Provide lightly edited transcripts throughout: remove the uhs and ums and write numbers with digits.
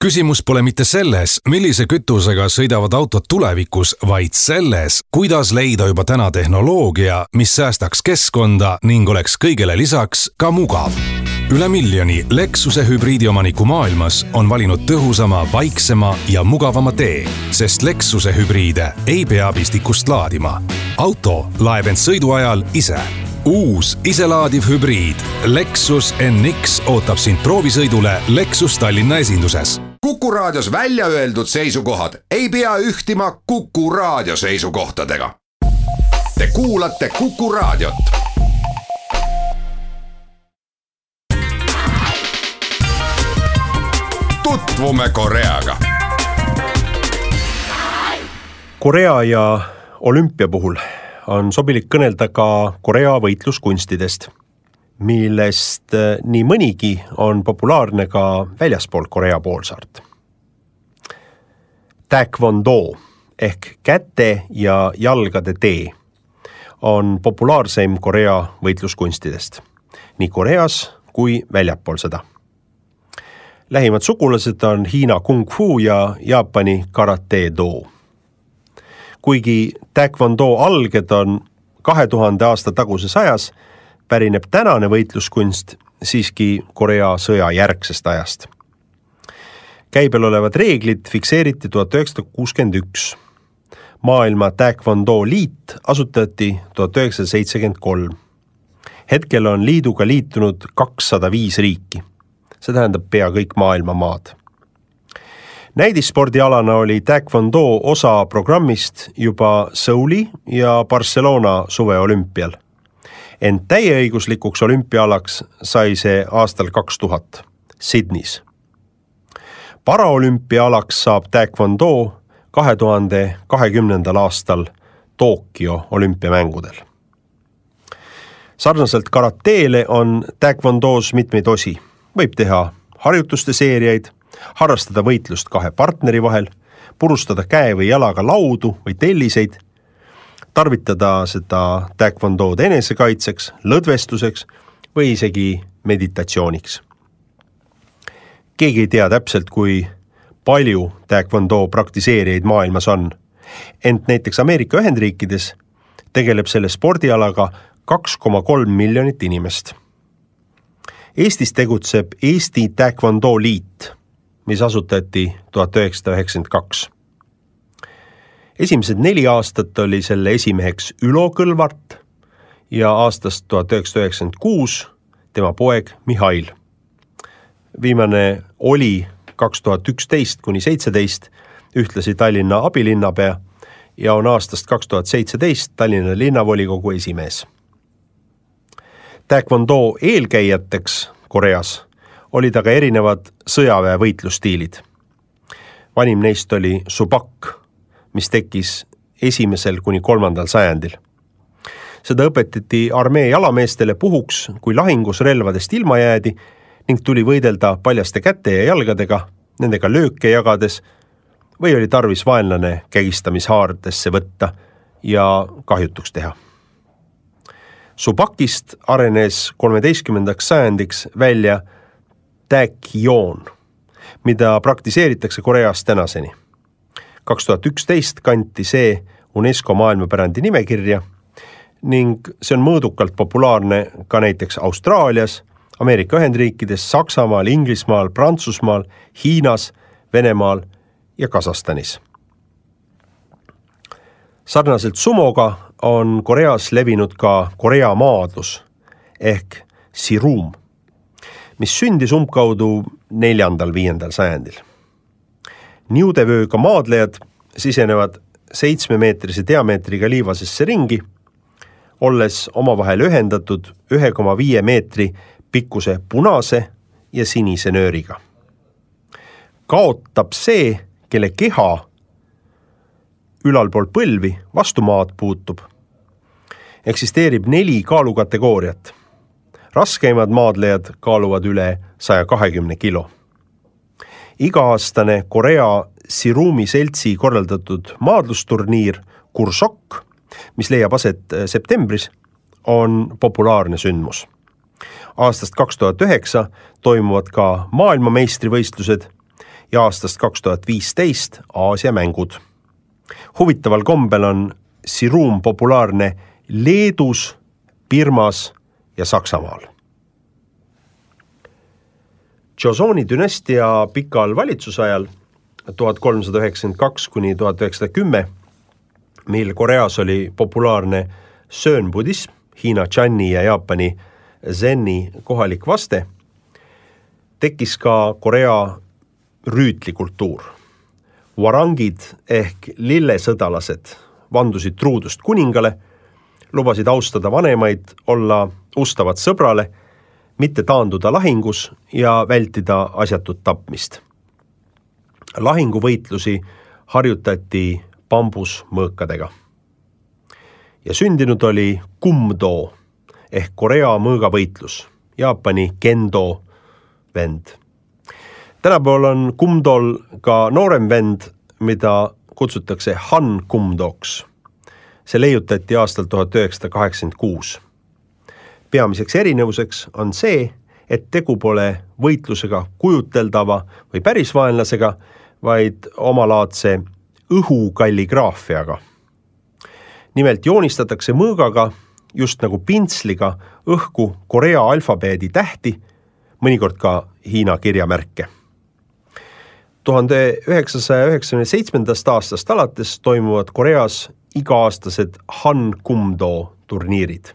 Küsimus pole mitte selles, millise kütusega sõidavad autod tulevikus, vaid selles, kuidas leida juba täna tehnoloogia, mis säästaks keskkonda ning oleks kõigele lisaks ka mugav. Üle miljoni Lexuse hübriidiomaniku maailmas on valinud tõhusama, vaiksema ja mugavama tee, sest Lexuse hübriide ei pea pistikust laadima. Auto laeb end sõidu ajal ise. Uus iselaadiv hübriid Lexus NX ootab sind proovisõidule Lexus Tallinna esinduses. Kuku Raadios välja öeldud seisukohad ei pea ühtima Kuku Raadio seisukohtadega. Te kuulate Kuku Raadiot. Tutvume Koreaga. Korea ja olümpia puhul on sobilik kõnelda ka Korea võitluskunstidest, millest nii mõnigi on populaarne ka väljaspool Korea poolsaart. Taekwondo ehk käte ja jalgade tee on populaarseim Korea võitluskunstidest, nii Koreas kui väljapool seda. Lähimad sugulased on Hiina kung fu ja Jaapani karate do. Kuigi Taekwondo alged on 2000 aasta taguses ajas, pärineb tänane võitluskunst siiski Korea sõja järgsest ajast. Käibel olevad reeglid fikseeriti 1961. Maailma Taekwondo liit asutati 1973. Hetkel on liiduga liitunud 205 riiki. See tähendab pea kõik maailma maad. Näidisspordialana oli Taekwondo osa programmist juba Seuli ja Barcelona suveolümpial. Ent täieõiguslikuks olümpiaalaks sai see aastal 2000 Sydneys. Paraolümpiaalaks saab Taekwondo 2020. aastal Tokyo olümpiamängudel. Sarnaselt karateele on Taekwondos mitmeid osi. Võib teha harjutuste seeriaid, harrastada võitlust kahe partneri vahel, purustada käe või jalaga laudu või telliseid, tarvitada seda Taekwondod enesekaitseks, lõdvestuseks või isegi meditatsiooniks. Keegi ei tea täpselt, kui palju Taekwondo praktiseerijaid maailmas on, ent näiteks Ameerika Ühendriikides tegeleb selle spordialaga 2,3 miljonit inimest. Eestis tegutseb Eesti Taekwondo liit, mis asutati 1992. Esimesed 4 aastat oli selle esimeheks Ülo Kõlvart ja aastast 1996 tema poeg Mihhail. Viimane oli 2011–17 ühtlasi Tallinna abilinnapea ja on aastast 2017 Tallinna linnavolikogu esimees. Taekwondo eelkäijateks Koreas olid aga erinevad sõjaväe võitlusstiilid. Vanim neist oli subak, mis tekkis 1.–3. sajandil. Seda õpetati armee jalameestele puhuks, kui lahingus relvadest ilma jäädi ning tuli võidelda paljaste käte ja jalgadega, nendega lööke jagades või oli tarvis vaenlane kägistamishaardesse võtta ja kahjutuks teha. Subakist arenes 13. sajandiks välja Taekyon, mida praktiseeritakse Koreas tänaseni. 2011 kanti see UNESCO maailmapärandi nimekirja ning see on mõõdukalt populaarne ka näiteks Austraalias, Ameerika Ühendriikides, Saksamaal, Inglismaal, Prantsusmaal, Hiinas, Venemaal ja Kasahstanis. Sarnaselt sumoga on Koreas levinud ka Korea maadlus ehk sirum, mis sündis umbkaudu 4.–5. sajandil. Niudevööga maadlejad sisenevad 7-meetrise diameetriga liivasesse ringi, olles omavahel ühendatud 1,5 meetri pikkuse punase ja sinise nööriga. Kaotab see, kelle keha ülalpool põlvi vastu maad puutub. Eksisteerib 4 kaalukategooriat. Raskeimad maadlejad kaaluvad üle 120 kilo. Iga-aastane Korea Sirumi seltsi korraldatud maadlusturniir Kursok, mis leiab aset septembris, on populaarne sündmus. Aastast 2009 toimuvad ka maailmameistrivõistlused ja aastast 2015 Aasia mängud. Huvitaval kombel on siruum populaarne Leedus, Birmas ja Saksamaal. Joseoni dünastia pikal valitsusajal 1392 kuni 1910, mil Koreas oli populaarne söönbudism, Hiina Channi ja Jaapani Zenni kohalik vaste, tekkis ka Korea rüütlikultuur. Warangid ehk lillesõdalased vandusid truudust kuningale, lubasid austada vanemaid, olla ustavad sõbrale, mitte taanduda lahingus ja vältida asjatut tapmist. Lahinguvõitlusi harjutati bambusmõõkadega. Ja sündinud oli kumdo ehk Korea mõõgavõitlus, Jaapani kendo vend. Tänapäeval on kumdol ka noorem vend, mida kutsutakse Han kumdoks. See leiutati aastal 1986. Peamiseks erinevuseks on see, et tegu pole võitlusega kujuteldava või päris vaenlasega, vaid omalaadse õhukalligraafiaga. Nimelt joonistatakse mõõgaga, just nagu pintsliga, õhku Korea alfabeedi tähti, mõnikord ka Hiina kirjamärke. 1997. aastast alates toimuvad Koreas iga-aastased Han Kumdo turniirid.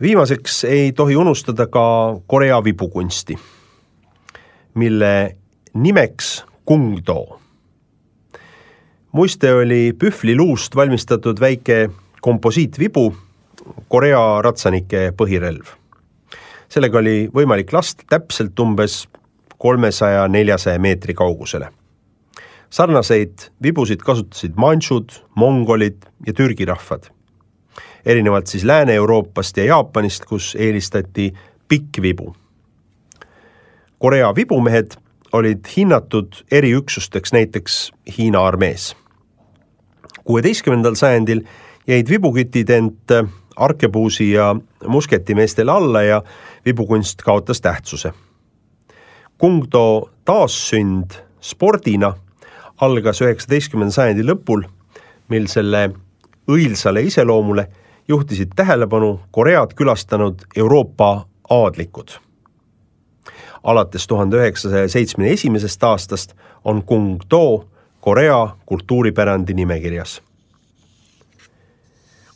Viimaseks ei tohi unustada ka Korea vibukunsti, mille nimeks Kungdo. Muiste oli pühvliluust valmistatud väike komposiitvibu, Korea ratsanike põhirelv. Sellega oli võimalik lasta täpselt umbes 300-400 meetri kaugusele. Sarnaseid vibusid kasutasid manšud, mongolid ja Türgi rahvad. Erinevalt siis Lääne-Euroopast ja Jaapanist, kus eelistati pikk vibu. Korea vibumehed olid hinnatud eriüksusteks näiteks Hiina armees. 16. sajandil jäid vibukütid ent arkebuusi ja musketimeestele alla ja vibukunst kaotas tähtsuse. Kungdo taassünd spordina algas 19. sajandi lõpul, mil selle õilsale iseloomule juhtisid tähelepanu Koread külastanud Euroopa aadlikud. Alates 1971. aastast on Kungdo Korea kultuuripärandi nimekirjas.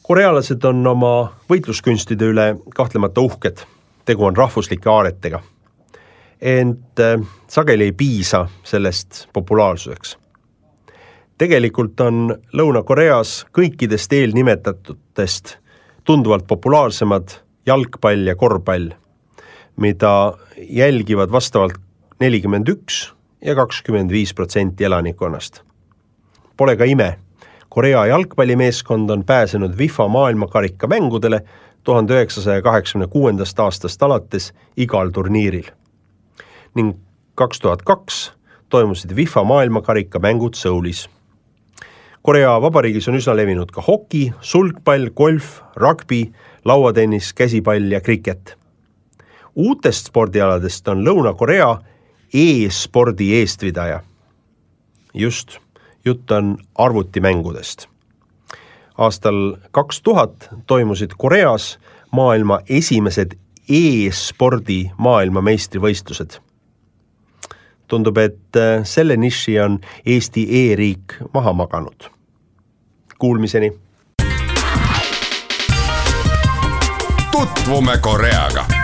Korealased on oma võitluskunstide üle kahtlemata uhked, tegu on rahvuslike aaretega. Ent sageli ei piisa sellest populaarsuseks. Tegelikult on Lõuna-Koreas kõikidest eelnimetatutest tunduvalt populaarsemad jalgpall ja korvpall, mida jälgivad vastavalt 41 ja 25% elanikkonnast. Pole ka ime, Korea jalgpallimeeskond on pääsenud FIFA maailmakarika mängudele 1986. aastast alates igal turniiril. Ning 2002 toimusid FIFA maailmakarika mängud Soulis. Korea Vabariigis on üsna levinud ka hoki, sulgpall, golf, rugby, lauatennis, käsipall ja kriket. Uutest spordialadest on Lõuna-Korea e-spordi eestvidaja. Just, jutt on arvutimängudest. Aastal 2000 toimusid Koreas maailma esimesed e-spordi maailmameistrivõistlused. Tundub, et selle niši on Eesti e-riik maha maganud. Kuulmiseni! Tutvume Koreaga!